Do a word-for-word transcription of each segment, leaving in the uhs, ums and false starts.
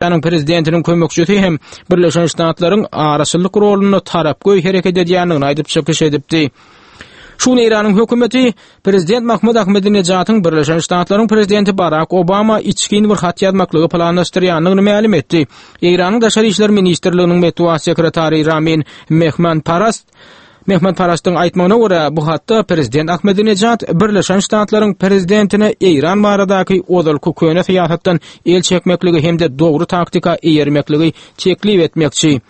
Türkiýäniň prezidentiniň kömekçisi hem Birleşen Ştatlaryň araçyllyk rolunda tarapgöý hereket edýändigini aýdyp çykyş edipdi. Şu gün Eýranyň hökümeti prezident Mahmud Ahmedinejadyň Birleşen Ştatlaryň prezidenti Barak Obama içgin bir hat ýazmaklygy planlaşdyrýandygyny mälim etdi. Eýranyň Daşary işler ministrliginiň metbugat sekretary Ramin Mehmanparast Mehmanparastyň aýtmagyna görä, bu hatda prezident Ahmedinejad Birleşen Ştatlaryň prezidentine Eýran baradaky ozalky köne syýasatdan el çekmekligi hem-de dogry taktika eýermekligi teklip etmekçi.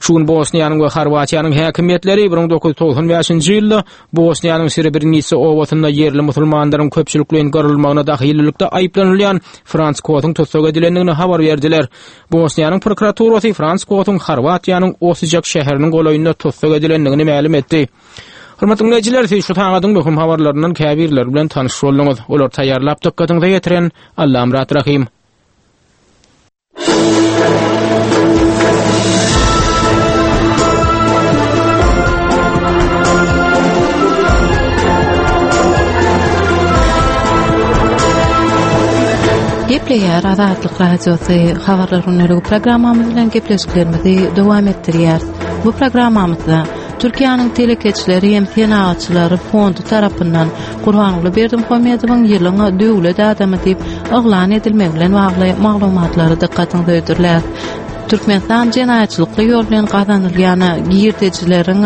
Şu gün Bosniýanyň we Horwatiýanyň häkimiýetleri bir müň dokuz ýüz togsan bäşinji ýylda Bosniýanyň Srebrenitsa obasynda ýerli musulmanlaryň köpçülikleýin gyrylmagyna dahillylykda aýyplanylýan Frans Kosyň tussag edilendigini habar berdiler. Bosniýanyň prokuraturasy Frans Kosyň Horwatiýanyň Osijek şäheriniň golaýynda tussag edilendigini mälim etdi. Hormatly diňleýjiler, siz şu sagadyň möhüm habarlaryndan käbirleri bilen tanyş bolduňyz. Olary taýýarlap dykgatyňyza ýetiren Allamyrat Rahym. Gepleýär Azatlyk Radiosy Habarlar gündeligi programmamyz bilen gepleşiklerimizi dowam etdirýäris. Bu programmamyzda Türkiýäniň telekeçileri hem senagatçylary fondy tarapyndan Gurbanguly Berdimuhamedowyň ýylyň döwlet adamy diýip yglan edilmegi bilen bagly maglumatlary dykgatyňyza hödürläris. Türkmenistan jenaýatçylykly ýol bilen gazanylýan girdejileriň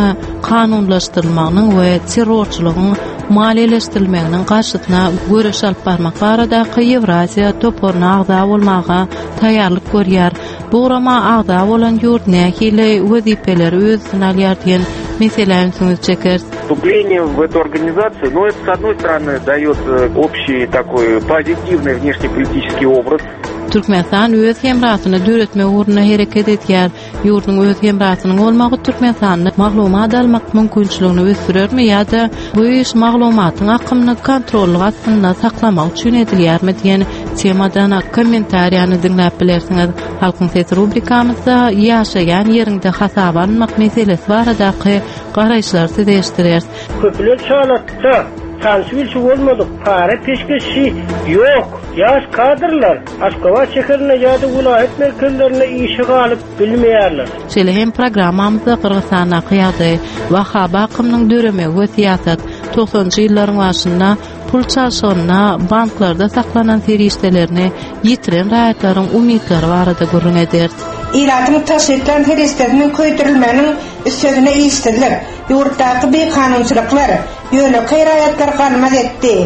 kanunlaşdyrylmagynyň we terrorçylygyň maliýeleşdirilmeginiň garşysyna göreş alyp barmak baradaky Ýewraziýa toparyna agza bolmaga taýýarlyk görýär. Bu gurama agza bolan ýurt nähili wezipeleri öz üstüne alýar diýen meselä ünsüňizi çekeris. Вступление в эту организацию, ну, это, с одной стороны, дает э, общий такой позитивный внешнеполитический образ. Türkmenistan öz hemrasyny döretmek ugrunda hereket edýär. Ýurduň öz hemrasynyň bolmagy Türkmenistanda maglumat almak mümkinçiligini ösdürermi ýa-da bu iş maglumatyň akymyny kontrollyk astynda saklamak üçin edilýärmi diýen temadan kommentariýany diňläp bilersiňiz. Halkyň sesi rubrikamyzda ýaşaýan ýeriňde hasaba alynmak meselesi baradaky garaýyşlary size eşitdireris. Köpüler çalatda, tanşy bolmadyk, para peşgeşi ýok. Ýaş kadrlar Aşgabat şäherinde ýa-da welaýat merkezlerinde işe galyp bilmeýärler. Şeýle hem programmamyzda Gyrgyzystandaky ýagdaý, Wahhaby akymynyň döremegi we syýasat, togsanjy ýyllaryň başynda pul çalşygynda banklarda saklanan serişdelerini ýitiren raýatlaryň umytlary barada gürrüň ederis. Ilatyň tagşytlan serişdesiniň köýdürilmeginiň üstesine işsizlik, ýurtdaky bikanunçylyklar, ýönekeý raýatlar galmaz etdi.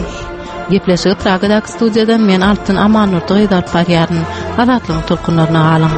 Gepleşigi Pragadaky studiýadan men Altyn Amannurdy gyz alyp barýaryn. Azatlygyň tolkunlaryna galyň.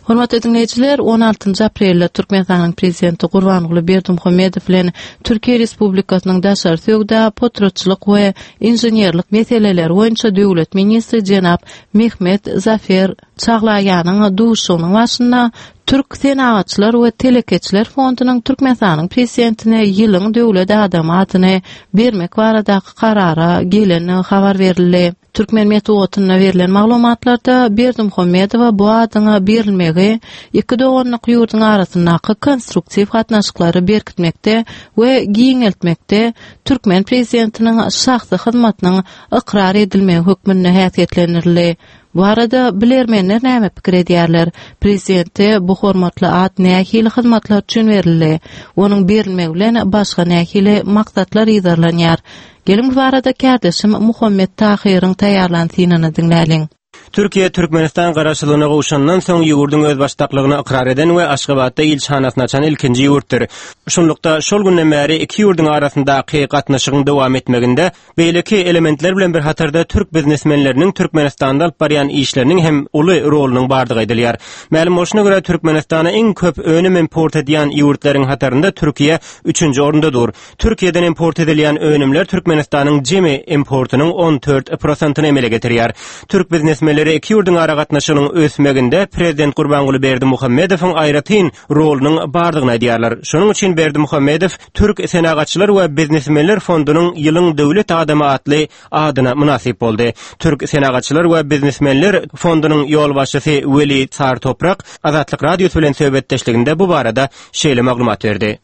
Hormatly diňleýjiler, on altynjy aprelde Türkmenistanyň Prezidenti Gurbanguly Berdimuhamedow bilen Türkiýe Respublikasynyň daşary söwda, potratçylyk we inženerlik meseleleri boýunça döwlet ministri jenap Mehmet Zafer Çaglaýanyň duşuşygynyň başynda Türk Senagatçylar we Telekeçiler Fondunyň Türkmenistanyň Prezidentine ýylyň döwlet adamy adyny bermek baradaky karara gelendigi habar berildi. Türkmen metbugatynda berlen maglumatlarda Berdimuhamedowa bu adyň berilmegi iki doganlyk ýurduň arasyndaky konstruktiw gatnaşyklary berkitmekde we giňeltmekde türkmen prezidentiniň şahsy hyzmatynyň ykrar edilmegi hökmünde häsiýetlendirildi. Bu arada bilermenler näme pikir edýärler? Prezidente bu hormatly at nähili hyzmatlar üçin berildi? Onuň berilmegi bilen başga nähili maksatlar yzarlanýar? Geliň bu barada kärdeşim Muhammet Tahyryň taýýarlan synyny diňläliň. Türkiýe Türkmenistan garaşsyzlygyna gowşandan soň ýurduň özbaşdaklygyny ykrar eden we Aşgabatda ilçihanasyny açan ilkinji ýurtdur. Şunlukda şol günden bäri iki ýurduň arasyndaky gatnaşygyň dowam etmeginde beýleki elementler bilen bir hatarda türk biznesmenleriniň Türkmenistanda alyp barýan işleriniň hem uly rolunyň bardygy aýdylýar. Mälim bolşuna görä Türkmenistana iň köp önüm import edýän ýurtlaryň hatarynda Türkiýe üçünji orunda dur. Türkiýeden import edilýän önümler Türkmenistanyň jemi importynyň on dört prosentyny emele getirýär. Türk biznesmenleri iki ýurduň aragatnaşygynyň ösmeginde Prezident Gurbanguly Berdimuhamedowyň aýratyn rolunyň bardygyny aýdýarlar. Şonuň üçin Berdimuhamedow Türk Senagatçylar we Biznesmenler Fondunyň ýylyň döwlet adamy atly adyna mynasyp boldy. Türk Senagatçylar we Biznesmenler Fondunyň ýolbaşçysy Weli Sartoprak Azatlyk Radiosy bilen söhbetdeşliginde bu barada şeýle maglumat berdi.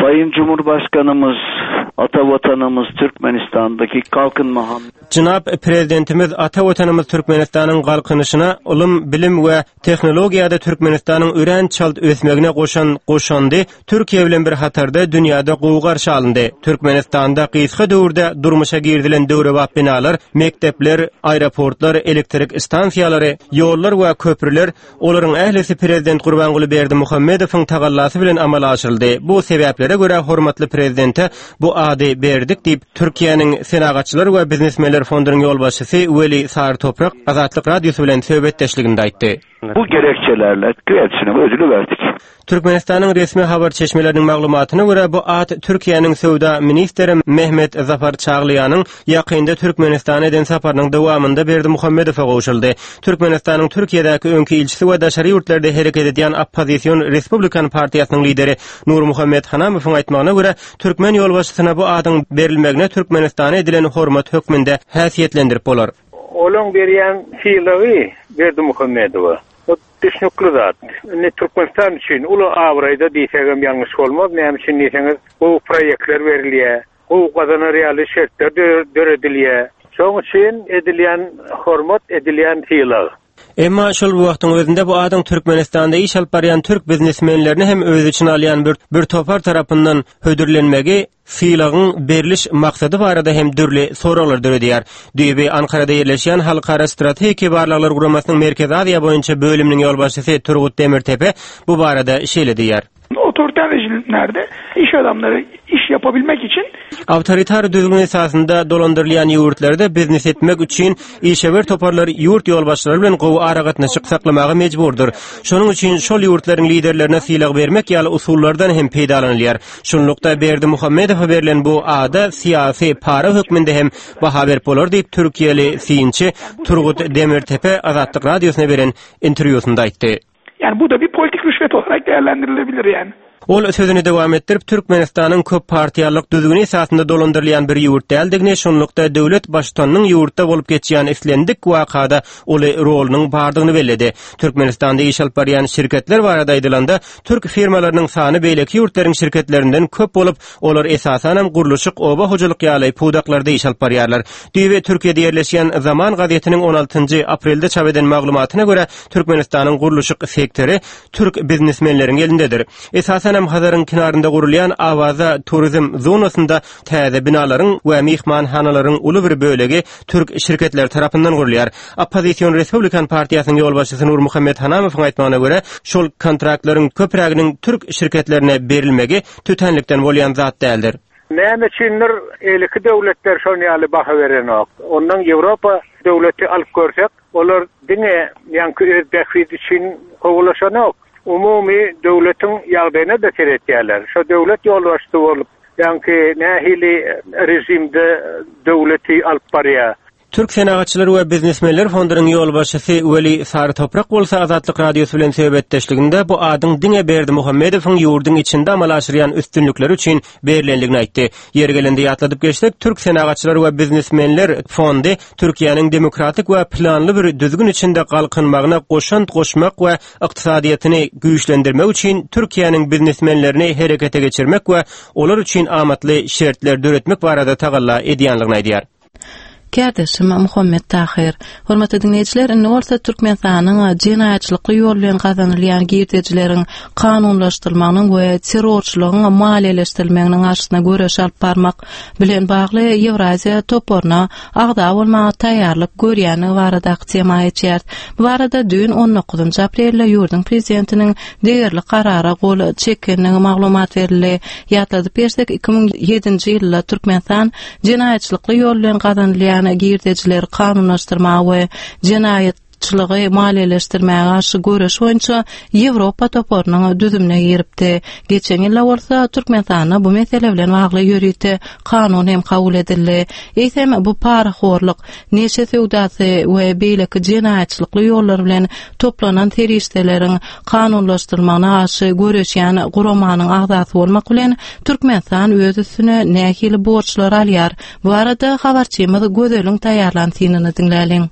Sayın Cumhurbaşkanımız Ata Watanymyz Türkmenistandaky kalkynma Jenap Prezidentimiz ata Watanymyz Türkmenistanyň galkynyşyna ylym, bilim we tehnologiýada Türkmenistanyň örän çalt ösmegine goşan goşandy Türkiýe bilen bir hatarda dünýäde gowy garşy alyndy. Türkmenistanda gysga döwürde durmuşa girizilen döwrebap binalar, mekdepler, aeroportlar, elektrik stansiýalary, ýollar we köprüler olaryň ählisi Prezident Gurbanguly Berdimuhamedowyň tagallasy bilen amala aşyryldy. Bu sebäplere görä hormatly prezidente bu ady berdik diýip Türkiýäniň Senagatçylar we biznesmenler fondunyň ýolbaşçysy Weli Sarytoprak Azatlyk Radiosy bilen söhbetdeşliginde aýtdy. Bu gerekçelerle kendisine bu ödülü verdik. Türkmenistanyň resmi habar çeşmeleriniň maglumatyna görä bu at Türkiýäniň söwda ministri Mehmet Zafar Çaglaýanyň ýakynda Türkmenistana eden saparynyň dowamynda Berdimuhamedowa gowşuldy. Türkmenistanyň Türkiýedäki öňki ilçisi we daşary ýurtlarda hereket edýän oppozision Respublikan partiýasynyň lideri Nurmuhammet Hanamowyň aýtmagyna görä türkmen ýolbaşçysyna bu adyň berilmegine Türkmenistana edilen hormat hökmünde häsiýetlendirip bolar. Olaň berýän sylagy Berdimuhamedowa. O düşnükli zat. Indi Türkmenistan üçin uly abraýda diýsegem ýalňyş bolmaz. Näme üçin diýseňiz, bu proýektler berilýär. Bu gazanar ýaly şertler döredilýär. Şonuň üçin edilýän hormat, edilýän sylag. Emma şol bu wagtyň özünde bu adyň Türkmenistanda iş alyp barýan türk biznesmenlerini hem öz içine alýan bir, bir topar tarapyndan hödürlenmegi sylagyň beriliş maksady barada hem dürli soraglar döredýär. Düýbi Ankarada ýerleşýän Halkara Strategik Barlaglar Guramasynyň Merkezi Aziýa boýunça bölüminiň ýolbaşçysy Turgut Demirtepe bu barada şeýle diýýär. Otoriter rejimlerde iş adamları iş yapabilmek için Awtoritar düzgün esasynda dolandyrylýan ýurtlarda biznes etmek üçin işewür toparlar ýurt ýolbaşçylary bilen gowy aragatnaşyk saklamaga mejburdyr. Şonuň üçin şol ýurtlaryň liderlerine sylag bermek ýaly usullardan hem peýdalanylýar. Şunlukda Berdimuhamedowa berlen bu ada syýasy para hökmünde hem baha berip bolar diýip Türkiýeli synçy Turgut Demirtepe Azatlyk Radiosyna beren interwýusynda aýtdy. Yani bu da bir politik rüşvet olarak değerlendirilebilir yani. Ol sözüni dowam etdirip Türkmenistanyň köp partiýalyk düzgüni esasynda dolandyrylýan bir ýurt däldigini, şonlukda döwlet baştutanynyň ýurtda bolup geçýän islendik wakada uly rolunyň bardygyny belledi. Türkmenistanda iş alyp barýan şirketler barada aýdylanda, türk firmalarynyň sany beýleki ýurtlaryň şirketlerinden köp bolup, olar esasanam gurluşyk, oba hojalyk ýaly pudaklarda iş alyp barýarlar. Düýbi Türkiýede ýerleşýän Zaman gazetiniň on altynjy aprelde çap eden maglumatyna görä, Türkmenistanyň gurluşyk sektory türk biznesmenleriň elindedir. Esasanam Hazaryň kenarynda gurulýan Awaza turizm zonasynda täze binalaryň we myhmanhanalaryň uly bir bölegi türk şirketleri tarapyndan gurulýar. Oppozision Respublikan partiýasynyň ýolbaşçysy Nurmuhammet Hanamowyň aýtmagyna görä, şol kontraktlaryň köpräginiň türk şirketlerine berilmegi tötänlikden bolýan zat däldir. Näme üçindir eliki döwletler şon ýaly baha berenok. Ondan Ýewropa döwleti alyp görsek, olar diňe ýaňky öz bähbidi üçin kowulaşanok. Umumy döwletiň ýagdaýyna da seretýärler. Şo döwlet ýolbaşçysy bolup, ýaňky nähili rejimde döwleti alyp barýar. Türk Senagatçylar we Biznesmenler fondunyň ýolbaşçysy Weli Sarytoprak bolsa Azatlyk Radiosy bilen söhbetdeşliginde bu adyň diňe Berdimuhamedowyň ýurduň içinde amala aşyrýan üstünlikleri üçin berilendigini aýtdy. Ýeri gelende ýatladyp geçsek, Türk Senagatçylar we Biznesmenler fondy Türkiýäniň demokratik we planly bir düzgün içinde galkynmagyna goşant goşmak we ykdysadyýetini güýçlendirmek üçin Türkiýäniň biznesmenlerini herekete geçirmek we olar üçin amatly şertler döretmek barada tagalla edýänligini aýdýar. Kärdeşim Muhammet Tahir. Hormatly dinleýjiler, indi bolsa Türkmenistanyň jenaýatçylykly ýol bilen gazanylýan girdejileriň kanunlaşdyrylmagynyň we terrorçylygyň maliýeleşdirilmeginiň garşysyna göreş alyp barmak bilen bagly Ýewraziýa toparyna agza bolmaga taýýarlyk görýändigi baradaky tema geçýär. Bu barada düýn on dokuzynjy aprelde ýurduň prezidentiniň degerli karara gol çekenligi maglumat berildi. Ýatladyp geçsek, iki müň ýedinji ýylda Türkmenistan jenaýatçylykly ýol bilen gazanylýan girdejileri kanunlaşdyrmaga we jenaýatçylygy maliýeleşdirmäge garşy göreş boýunça Ýewropa toparynyň düzümine giripdi. Geçen ýylda bolsa Türkmenistanda bu mesele bilen bagly ýörite kanun hem kabul edildi. Eýsem bu parahorluk, neşe söwdasy we beýleki jenaýatçylykly ýollar bilen toplanan serişdeleriň kanunlaşdyrylmagyna garşy göreşýän guramanyň agzasy bolmak bilen Türkmenistan öz üstüne nähili borçlar alýar? Bu arada habarçymyz Gözeliň taýýarlan synyny diňläliň.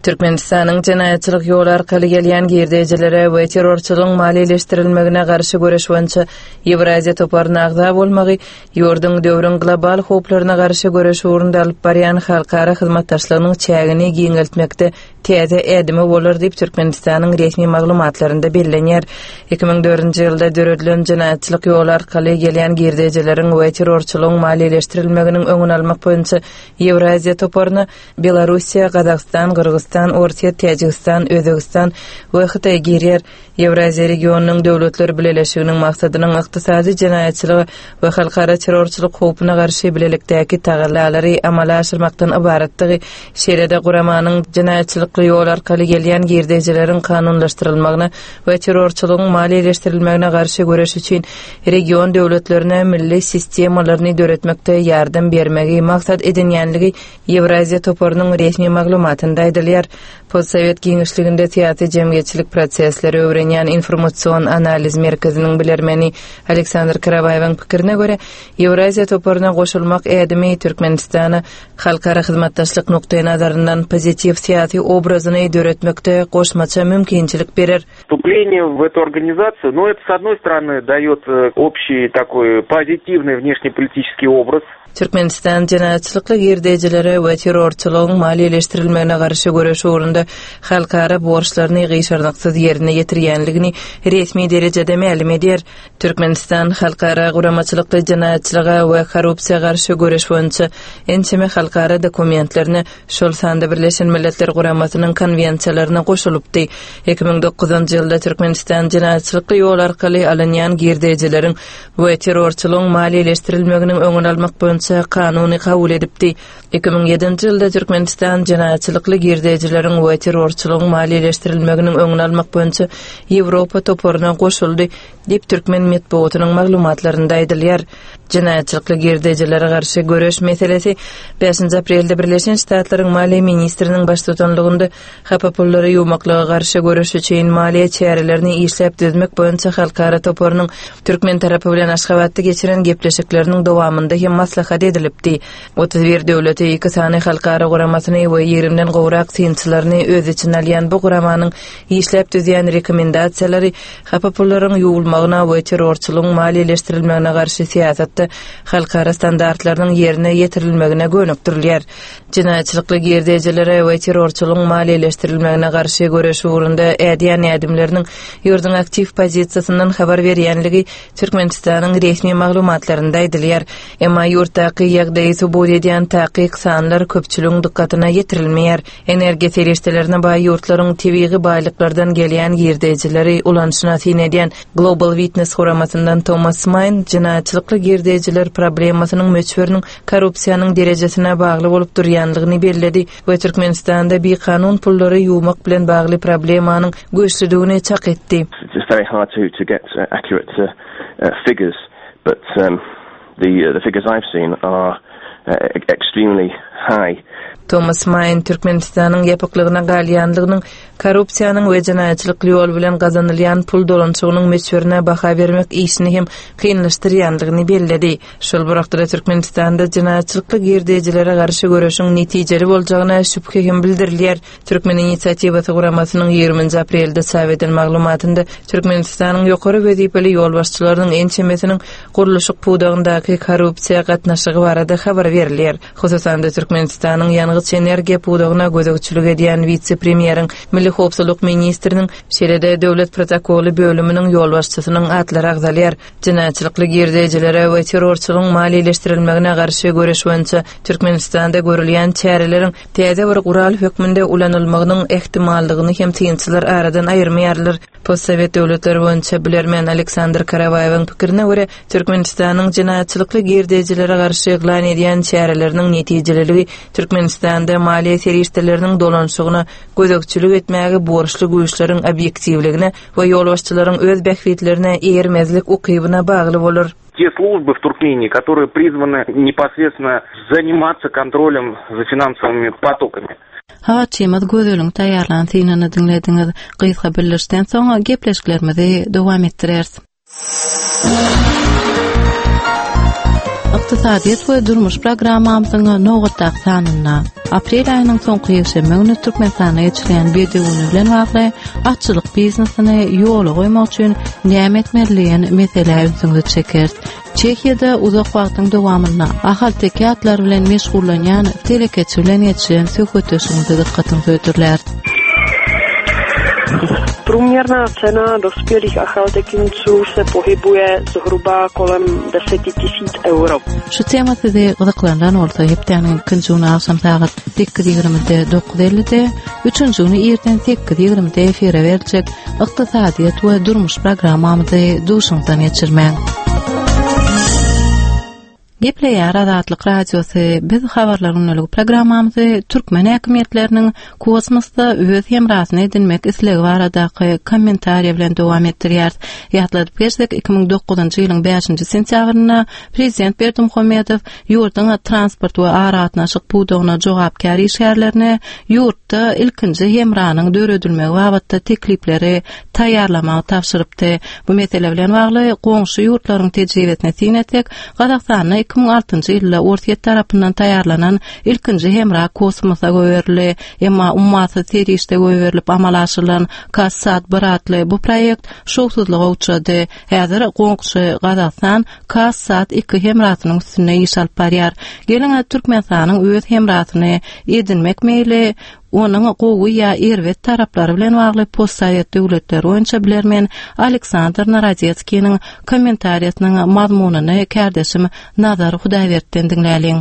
Türkmenistanyň jenaýatçylyk ýoly arkaly gelýän girdejilere we terrorçylygyň maliýeleşdirilmegine garşy göreş boýunça Ýewraziýa toparyna agza bolmagy ýurduň döwrüň global howplaryna garşy göreş ugrunda alyp barýan halkara hyzmatdaşlygynyň çägini giňeltmekde täze ädimi bolar diýip Türkmenistanyň resmi maglumatlarynda bellenýär. iki müň dördünji ýylda döredilen jenaýatçylyk ýoly arkaly gelýän girdejileriň we terrorçylygyň maliýeleşdirilmeginiň öňüni almak boýunça Ýewraziýa toparyna Belarussiýa, Gazagystan, Gyrgyzystan, Orsýet, Täjigistan, Özbegistan we Hytaý girýär. Ýewraziýa regionynyň döwletler bileleşiginiň maksadynyň ykdysady jenaýatçylyga we halkara terrorçylyk howpuna garşy bilelikdäki tagallalary amala aşyrmakdan ybaratdygy, şeýle-de guramanyň jenaýatçylykly ýol arkaly gelýän girdejileriň kanunlaşdyrylmagyna we terrorçylygyň maliýeleşdirilmegine garşy göreş üçin region döwletlerine milli sistemalaryny döretmekde ýardam bermegi maksat edinýänligi Ýewraziýa toparynyň resmi maglumatynda aýdylýar. Postsowet giňişliginde syýasy jemgyýetçilik prosesleri öwrenýän informasion analiz merkeziniň bilermeni Aleksandr Karawaýewiň pikirine görä, Ýewraziýa toparyna goşulmak ädimi Türkmenistana halkara hyzmatdaşlyk nukdaýnazaryndan pozitiw syýasy obrazyny döretmekde goşmaça mümkinçilik berer. Вступление в эту организацию, ну, это, с одной стороны, дает э, общий такой позитивный внешнеполитический образ. Türkmenistan jenaýatçylykly girdejilere we terrorçylygyň maliýeleşdirilmegine garşy göreş ugrunda halkara borçlaryny gyşarnyksyz ýerine ýetirýänligini resmi derejede mälim edýär. Türkmenistan halkara guramaçylykly jenaýatçylyga we korrupsiýa garşy göreş boýunça ençeme halkara dokumentlerine, şol sanda Birleşen Milletler Guramasynyň konwensiýalaryna goşulypdy. Iki müň dokuzynjy ýylda Türkmenistan jenaýatçylykly ýol arkaly alynýan girdejileriň we terrorçylygyň maliýeleşdirilmeginiň öňüni almak boýunça kanuny kabul edipdi. Iki müň ýedinji ýylda Türkmenistan jenaýatçylykly girdejileriň we terrorçylygyň maliýeleşdirilmeginiň öňüni almak boýunça Ýewropa toparyna goşuldy diýip türkmen metbugatynyň maglumatlarynda aýdylýar. Jenaýatçylykly girdejilere garşy göreş meselesi bäşinji aprelde Birleşen Ştatlaryň maliýe ministriniň baştutanlygynda hapa pullary ýuwmaklyga garşy göreş üçin maliýe çärelerini işläp düzmek boýunça halkara toparynyň türkmen tarapy bilen Aşgabatda geçiren gepleşikleriniň dowamynda hem maslahat edilipdi. Otuz bir döwleti, iki sany halkara guramasyny we ýigrimiden gowrak synçylaryny öz içine alýan bu guramanyň işläp düzýän rekomendasiýalary hapa pullaryň ýuwulmagyna we terrorçylygyň maliýeleşdirilmegine garşy syýasatda halkara standartlarynyň ýerine ýetirilmegine gönükdirilýär. Jenaýatçylykly girdejilere we terrorçylygyň maliýeleşdirilmegine garşy göreş ugrunda ädýän ädimleriniň ýurduň aktiw pozisiýasyndan habar berýänligi Türkmenistanyň resmi maglumatlarynda aýdylýar. Emma ýurtdaky ýagdaýy subut edýän takyk sanlar köpçüligiň dykgatyna ýetirilmeýär. Energiýa serişdelerine baý ýurtlaryň tebigy baýlyklardan gelýän girdejileri ulanyşyna syn edýän Global Witness guramasyndan Thomas Main jenaýatçylykly girdejiler problemasynyň möçberiniň korrupsiýanyň derejesine bagly bolup durýanlygyny belledi we Türkmenistanda bikanun pullary ýuwmak bilen bagly problemanyň güýçlüdigini çak etdi. It's very hard to, to get, uh, accurate, uh, uh, figures, but, um, the, uh, the figures I've seen are, uh, extremely high. Thomas Main Türkmenistanyň ýapyklygyna galýanlygynyň korrupsiýanyň we jenaýatçylykly ýol bilen gazanylýan pul dolanyşygynyň möçberine baha bermek işini hem kynlaşdyrýanlygyny belledi. Şol bir wagtda Türkmenistanda jenaýatçylykly girdejilere garşy göreşiň netijeli boljagyna şübhe hem bildirilýär. Türkmen inisiatiwasy guramasynyň ýigriminji aprelde çap eden maglumatynda Türkmenistanyň ýokary wezipeli ýolbaşçylarynyň ençemesiniň gurluşyk pudagyndaky korrupsiýa gatnaşygy barada habar berilýär. Hususan-da Türkmenistanyň ýangyç energiýa pudagyna gözegçilik edýän wise-premýeriň, Milli howpsuzlyk ministriniň, şeýle-de döwlet protokoly bölüminiň ýolbaşçysynyň atlary agzalýar. Jenaýatçylykly girdejilere we terrorçylygyň maliýeleşdirilmegine garşy göreş boýunça Türkmenistanda görülýän çäreleriň täze bir gural hökmünde ulanylmagynyň ähtimallygyny hem synçylar aradan aýyrmaýarlar. Postsowet döwletleri boýunça bilermen Aleksandr Karawaýewiň pikirine görä, Türkmenistanyň jenaýatçylykly girdejilere garşy yglan edýän çäreleriniň netijeliligi Türkmenistanda maliýe serişdeleriniň dolanyşygyna gözegçilik etmäge borçly güýçleriň obýektiwligine we ýolbaşçylaryň öz bähbitlerine eýermezlik ukybyna bagly bolar. Те службы в Туркмении, которые призваны непосредственно заниматься контролем за финансовыми потоками. Habarçymyz Gözeliň taýýarlan synyny diňlediňiz. Gysga bildirişden soň gepleşiklerimizi dowam etdireris. Ykdysadyýet we durmuş programmamyzyň nobatdaky sanynda aprel aýynyň soňky ýekşenbe güni Türkmenistanda geçirilýän Bedew güni bilen bagly atçylyk biznesini ýola goýmak üçin näme etmeli diýen meselä ünsüňizi çekeris. Çehiýada uzak wagtyň dowamynda ahalteke atlary bilen meşgullanýan telekeçi bilen geçiren söhbetdeşligimizi dykgatyňyza hödürläris. Průměrná cena dospělých achaltekinců se pohybuje zhruba kolem deseti tisíc euro. Şu tema sizi gyzyklandyran bolsa hepdäniň ikinji güni agşam sagat sekiz ýigrimide dokuz ellide, üçünji güni irden sekiz ýigrimide efire beriljek ykdysadyýet we durmuş programmamyzy duşuňdan geçirmäň. Gepleýär Azatlyk Radiosy. Biz habarlar günlük programmamyzy türkmen häkimiýetleriniň kosmosda öz hemrasyny edinmek islegi baradaky kommentariýa bilen dowam etdirýäris. Ýatladyp geçsek, iki müň dokuzynjy ýylyň bäşinji sentýabrynda Prezident Berdimuhamedow ýurduň transport we aragatnaşyk pudagyna jogapkär işgärlerine ýurtda ilkinji hemranyň döredilmegi babatda teklipleri taýýarlamagy tabşyrypdy. Bu mesele bilen bagly goňşy ýurtlaryň tejribesine syn etsek, Gazagystanda iki müň altynjy ýylda Orsýet tarapyndan taýýarlanan ilkinji hemra kosmosa goýberildi. Emma ummasyz serişde goýberilip amala aşyrylan KazSat bir atly bu proýekt şowsuzlyga uçrady. Häzir goňşy Gazagystan KazSat iki hemrasynyň üstünde iş alyp barýar. Geliň, Türkmenistanyň öz hemrasyny edinmek meýli onuň gowy ýa erbet taraplary bilen bagly postsowet döwletleri boýunça bilermen Aleksandr Narodetskiniň kommentariýasynyň mazmunyny kärdeşim Nazar Hudaýberdi'den diňläliň.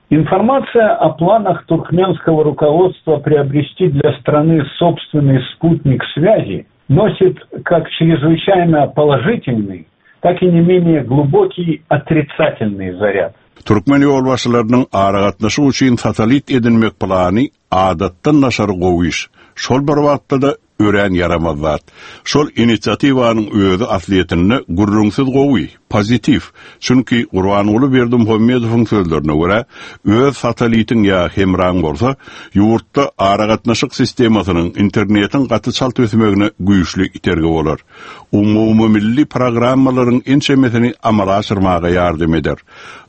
Информация о планах туркменского руководства приобрести для страны собственный спутник связи носит как чрезвычайно положительный, так и не менее глубокий отрицательный заряд. Türkmen ýolbaşçylarynyň aragatnaşyk üçin satellit edinmek plany adatdan daşary gowy iş. Şol bir wagtda-da örän ýaramaz zat. Şol inisiatiwanyň özi aslyýetinde gürrüňsiz gowy, pozitiw. Çünki Gurbanguly Berdimuhamedowyň sözlerine görä, öz satellitiň ýa hemraň bolsa, ýurtda aragatnaşyk sistemasynyň internetiň gaty çalt ösmegine güýçli itergi bolar. Umumy milli programmalaryň ençemesini amala aşyrmaga ýardam eder.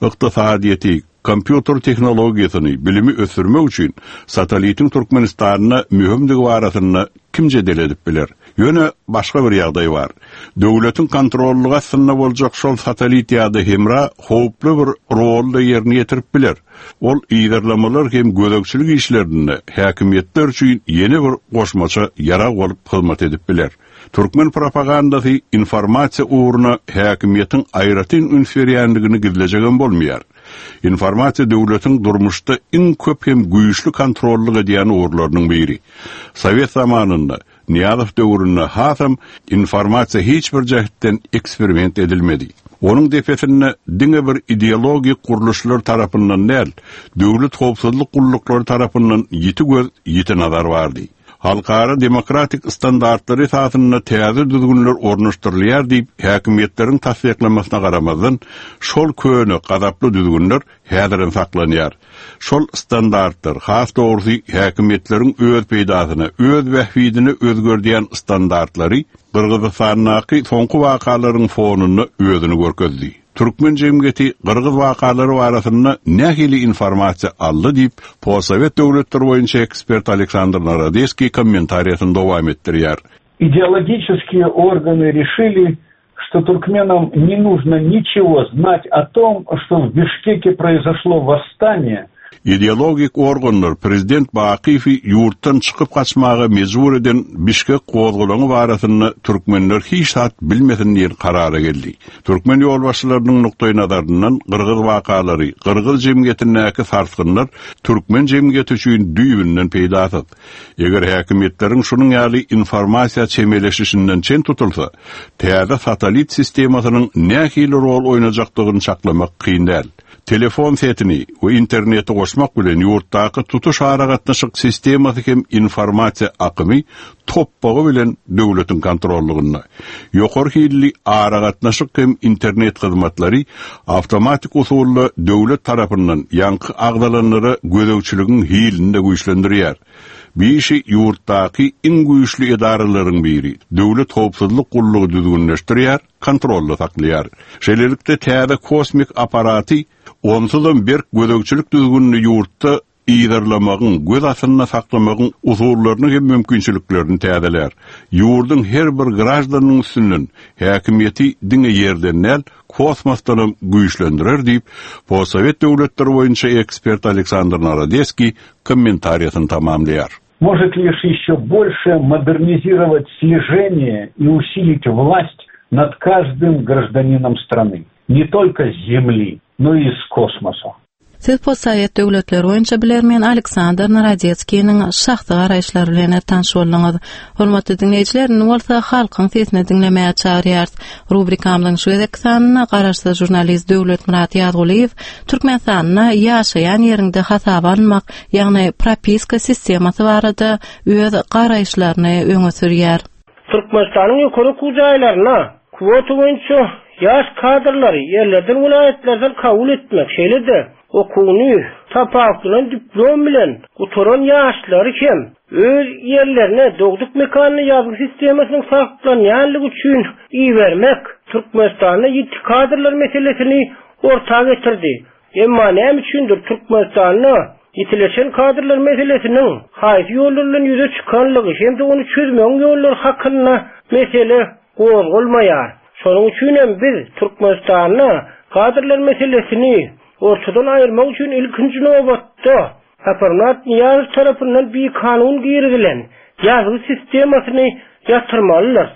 Ykdysadyýeti, kompýuter tehnologiýasyny, bilimi ösdürmek üçin satellitiň Türkmenistanyna möhümdigi barasynda kim jedel edip biler? Ýöne başga bir ýagdaý bar. Döwletiň kontrollygy astynda boljak şol satellit ýa-da hemra howply bir rolda ýerine ýetirip biler. Ol ýerlamalar hem gözegçilik işlerinde häkimiýetler üçin ýene bir goşmaça ýarag bolup hyzmat edip biler. Türkmen propagandasy informasiýa ugruna häkimiýetiň aýratyn üns berýändigini gizlejegem bolmaýar. Informasiýa döwletiň durmuşda iň köp hem güýçli kontrollyk edýän ugurlarynyň biri. Sowet zamanynda Niýazow döwründe hasam informasiýa hiç bir jähetden eksperiment edilmedi. Onuň depesinde diňe bir ideologik gurluşlar tarapyndan däl, döwlet howpsuzlyk gulluklary tarapyndan ýiti göz, ýiti nazar bardy. Halkara demokratik standartlary esasynda täze düzgünler ornaşdyrylýar diýip, häkimiýetleriň tassyklamasyna garamazdan, şol köne gazaply düzgünler häzirem saklanýar. Şol standartlar, has dogrusy häkimiýetleriň öz peýdasyna, öz bähbidine özgerdýän standartlary Gyrgyzystandaky soňky wakalaryň fonunda özüni görkezdi. Türkmen jemgyýeti Gyrgyz wakalary barasynda nähili informasiýa aldy diýip, postsowet döwletleri boýunça ekspert Aleksandr Narodetskiý kommentariýasyny dowam etdirýär. Идеологические органы решили, что туркменам не нужно ничего знать о том, что в Бишкеке произошло восстание. Ideologik organlar Prezident Bakyýewi ýurtdan çykyp gaçmaga mejbur eden Bişkek gozgalaňy barasynda türkmenler hiç zat bilmesin diýen karara geldi. Türkmen ýolbaşçylarynyň nukdaý nazaryndan Gyrgyz wakalary, Gyrgyz jemgyýetindäki sarsgynlar türkmen jemgyýeti üçin düýbünden peýdasyz. Eger häkimiýetleriň şunuň ýaly informasiýa çemeleşişinden çen tutulsa, täze satellit sistemasynyň nähili rol oýnajakdygyny çaklamak kyn däl. Telefon setini we interneti goşmak bilen ýurtdaky tutuş aragatnaşyk sistemasy hem informasiýa akymy topbagy bilen döwletiň kontrollygynda. Ýokary hilli aragatnaşyk hem internet hyzmatlary awtomatik usulda döwlet tarapyndan ýaňky agzalanlara gözegçiligiň hilini güýçlendirýär. Bir işi ýurtdaky iň güýçli edaralaryň biri döwlet howpsuzlyk gullugy düzgünleşdirýär, kontrolda saklaýar. Şeýlelikde täze kosmik aparaty onsuzam berk gözegçilik düzgünini ýurtda ýerlamagyň, göz astynda saklamagyň usullaryny hem mümkinçiliklerini täzeler. Ýurduň her bir graždanyň üstünden häkimiýeti diňe ýerden däl, kosmosdan güýçlendirer diýip, postsowet döwletleri boýunça ekspert Aleksandr Narodeskiý kommentariýasyny tamamlaýar. Может лишь еще больше модернизировать слежение и усилить власть над каждым гражданином страны, не только с Земли, но и из космоса. Siz postsowet döwletleri boýunça bilermen Aleksandr Narodetskiniň şahsy garaýyşlary bilen tanyş bolduňyz. Hormatly diňleýjiler, indi bolsa halkyň sesini diňlemäge çagyrýarys. Rubrikamyzyň şu gezek sanyna garaşsyz žurnalist Döwletmyrat Ýazgulyýew Türkmenistanda ýaşaýan ýerinde hasaba almak, ýagny propiska sistemasy barada öz garaýyşlaryny öňe sürýär. Türkmenistanyň ýokary okuw jaýlaryna kwota boýunça ýaş kadrlary ýerlerden welaýatlardan kabul etmek, şeýle-de okuwyny tapawutlanan diplom bilen gutaran ýaşlary hem öz ýerlerine dogduk mekanyny ýazgy sistemasynyň saklanýanlygy üçin ibermek Türkmenistanda ýiti kadrlar meselesini orta getirdi. Emma näme üçindir Türkmenistanda ýitileşen kadrlar meselesiniň haýsy ýollar bilen ýüze çykanlygy hem-de ony çözmegiň ýollary hakynda mesele gozgalmaýar. Şonuň üçin hem biz Türkmenistanda kadrlar meselesini ortadan aýyrmak üçin ilkinji nobatda Saparmyrat Nyýazow tarapyndan bir kanun girizilen ýazgy sistemasyny ýatyrmalydyr.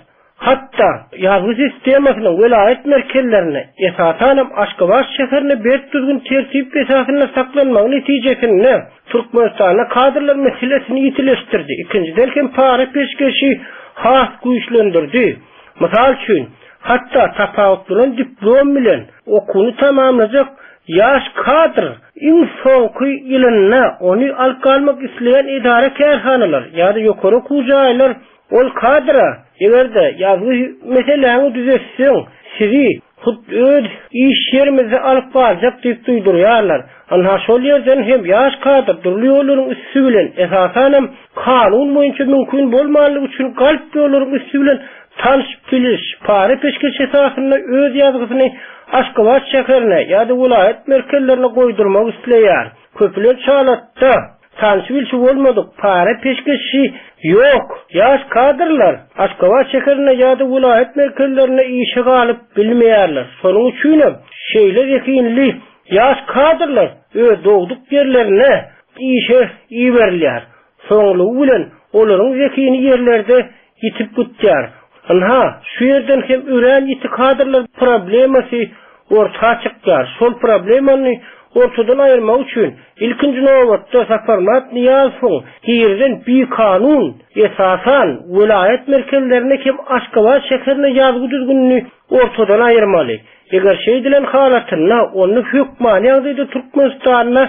Hatda ýazgy sistemasynyň welaýat merkezlerine, esasanam Aşgabat şäherine berk düzgün tertip esasynda saklanmagy netijesinde Türkmenistanda kadrlar meselesini ýitileşdirdi. Ikinjiden hem para peşgeşi has güýçlendirdi. Mysal üçin, hatda tapawutlanan diplom bilen okuwyny tamamlajak ýaş kadr iň soňky ýylynda ony alyp galmak isleýän edara kärhanalar ýa-da ýokary okuw jaýlar ol kadra eger-de ýazgy meseläni düzetseň, sizi hut öz iş ýerimizde alyp galjak diýip duýdurýarlar. Anha şol ýerden hem ýaş kadr dürli ýollaryň üsti bilen, esasanam kanun boýunça mümkin bolmanlygy üçin galp ýollaryň üsti bilen tanyş biliş, para peşgeş esasynda öz ýazgysyny Aşgabat şäherine ýa-da welaýat merkezlerine goýdurmak isleýär. Köplenç halatda tanyş bilişi bolmadyk para peşgeşi ýok. Ýaş kadrlar Aşgabat şäherine ýa-da welaýat merkezlerine işe galyp bilmeýärler. Şonuň üçin hem şeýle zehinli ýaş kadrlar öz dogduk ýerlerine işe iberilýär. Soňlugy bilen olaryň zehini ýerlerde ýitip gitýär. Anha, şu ýerden hem örän ýiti kadrlar problemasy orta çykýar. Şol problemany ortadan aýyrmak üçin ilkinji nobatda Saparmyrat Nyýazowyň girizen bir kanun esasan welaýat merkezlerine hem Aşgabat şäherine ýazgy düzgünini ortadan aýyrmaly. Eger şeýdilen halatynda ony hökmany ýagdaýda Türkmenistanda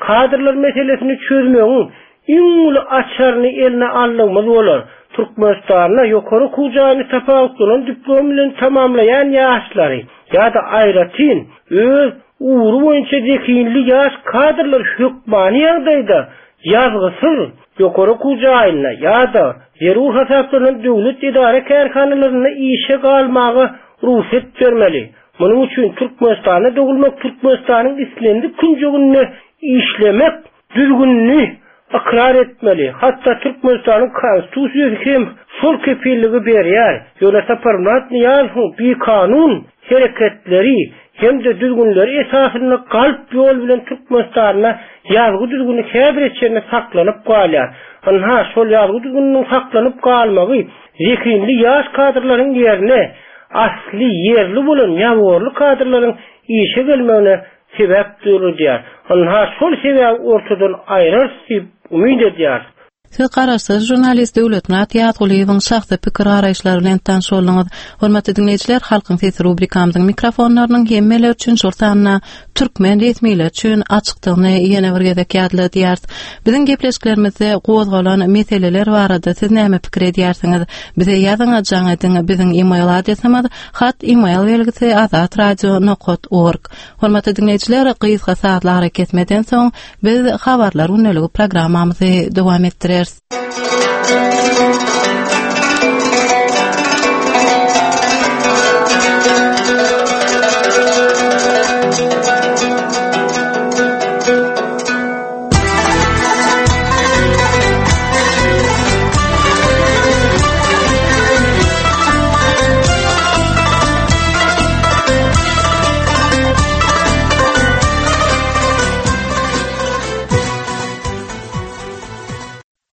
kadrlar meselesini çözmegiň iň uly açaryny eline aldygymyz bolar. Türkmenistanda ýokary okuw jaýyny tapawutlanan diplom bilen tamamlaýan ýaşlary ýa-da aýratyn öz ugry boýunça zehinli ýaş kadrlar hökmany ýagdaýda ýazgysyz ýokary okuw jaýynda ýa-da zerur hasaplanan döwlet edara kärhanalarynda işe galmaga rugsat bermeli. Munuň üçin Türkmenistanda dogulmak, Türkmenistanyň islendik künjeginde işlemek düzgünini ykrar etmeli. Hatda Türkmenistanyň konstitusiýasy hem şol kepilligi berýär. Ýöne Saparmyrat Nyýazowyň bir kanun hereketleri hem-de düzgünleri esasynda galp ýol bilen Türkmenistanda ýazgy düzgüni häzir çenli saklanyp galýar. Anha şol ýazgy düzgüniniň saklanyp galmagy zehinli ýaş kadrlaryň ýerine asly ýerli bolan ýaworly kadrlaryň işe gelmegine sebäp döredýär. Anha şol sebäbi ortadan aýrar diýip umyt edýär. Siz garaşsyz žurnalist Döwletmyrat Ýazgulyýewiň şahsy pikir garaýyşlary bilen tanyş bolduňyz. Hormatly diňleýjiler, Halkyň sesi rubrikamyzyň mikrofonlarynyň hemmeler üçin, şol sanda türkmen resmileri üçin açykdygyny ýene bir gezek ýatladýarys. Biziň gepleşiklerimizde gozgalan meseleler barada siz näme pikir edýärsiňiz? Bize ýazyň, jaň ediň. Biziň e-mail adresimiz hat e-mail belgisi azatradio nokat org. Hormatly diňleýjiler, gysga saatly ara kesmeden soň biz habarlar gündeligi programmamyzy dowam etdireris.